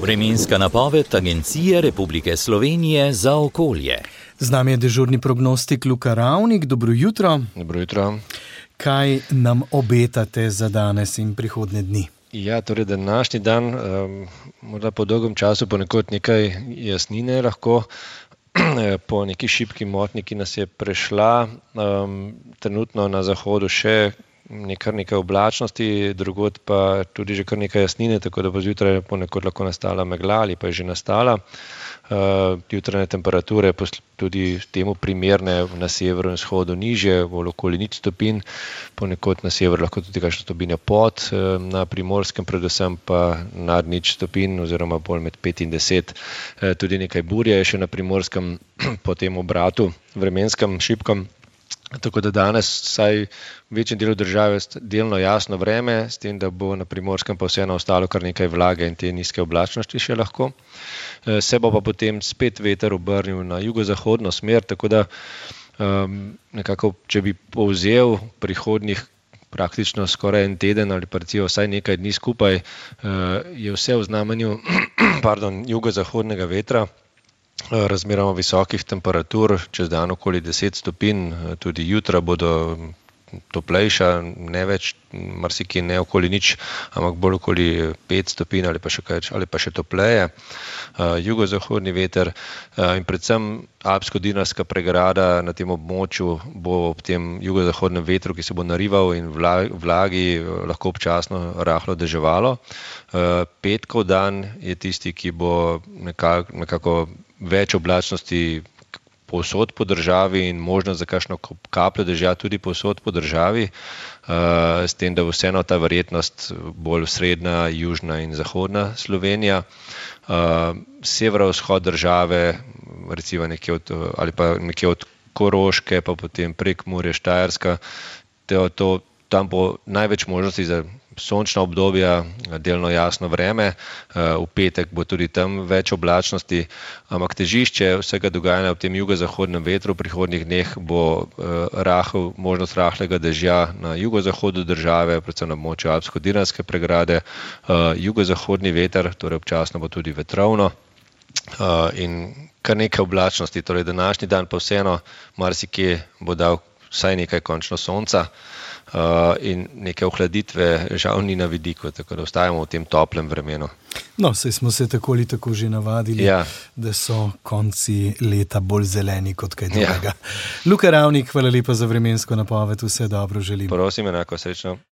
Vremenska napoved Agencije Republike Slovenije za okolje. Z nami je dežurni prognostik Luka Ravnik. Dobro jutro. Dobro jutro. Kaj nam obetate za danes in prihodnje dni? Ja, torej današnji dan, morda po dolgem času ponekod nekaj jasnine lahko, po neki šibki motnji, ki nas je prešla, trenutno na zahodu še nekaj oblačnosti, drugod pa tudi že kar nekaj jasnine, tako da bo zjutraj ponekod lahko nastala megla ali pa je že nastala. Jutranje temperature tudi temu primerne na severu in vzhodu nižje, bolj okoli 0 stopinj, ponekod na severu lahko tudi kakšna stopinja pod, na Primorskem predvsem pa nad 0 stopinj oziroma bolj med 5 in 10. Tudi nekaj burje je še na Primorskem po tem obratu vremenskem šibkem. Tako da danes vsaj v večjem delu države delno jasno vreme, s tem, da bo na Primorskem pa vseeno ostalo kar nekaj vlage in te nizke oblačnosti še lahko. Se bo pa potem spet veter obrnil na jugozahodno smer, tako da nekako, če bi povzel prihodnjih praktično skoraj en teden ali pa recimo vsaj nekaj dni skupaj, je vse v znamenju jugozahodnega vetra, razmeroma visokih temperatur, čez dan okoli 10 stopinj, tudi jutra bodo toplejša, ne več, marsikje ne okoli 0, ampak bolj okoli 5 stopinj ali pa še topleje. Jugozahodni veter in predvsem Alpsko-Dinarska pregrada na tem območju bo ob tem jugozahodnem vetru, ki se bo narival in vlagi, lahko občasno rahlo deževalo. Petkov dan je tisti, ki bo nekako več oblačnosti povsod po državi in možnost za kakšno kapljo dežja tudi povsod po državi, s tem, da bo vseeno ta verjetnost bolj srednja, južna in zahodna Slovenija. Severovzhod države, recimo nekje od Koroške, pa potem Prekmurje, Štajerska, tam bo največ možnosti za sončna obdobja, delno jasno vreme, v petek bo tudi tam več oblačnosti, ampak težišče vsega dogajanja v tem jugozahodnem vetru v prihodnjih dneh bo možnost rahlega dežja na jugozahodu države, predvsem na območju Alpsko-Dinarske pregrade, jugozahodni veter, torej občasno bo tudi vetrovno in kar nekaj oblačnosti, torej današnji dan pa vseeno marsikje bo dal vsaj nekaj končno sonca, in neke ohladitve žal ni na vidiku, tako da ostajamo v tem toplem vremenu. No, saj smo se tako ali tako že navadili, da so konci leta bolj zeleni kot kaj drugega. Luka Ravnik, hvala lepa za vremensko napoved, vse dobro želim. Prosim, enako, srečno.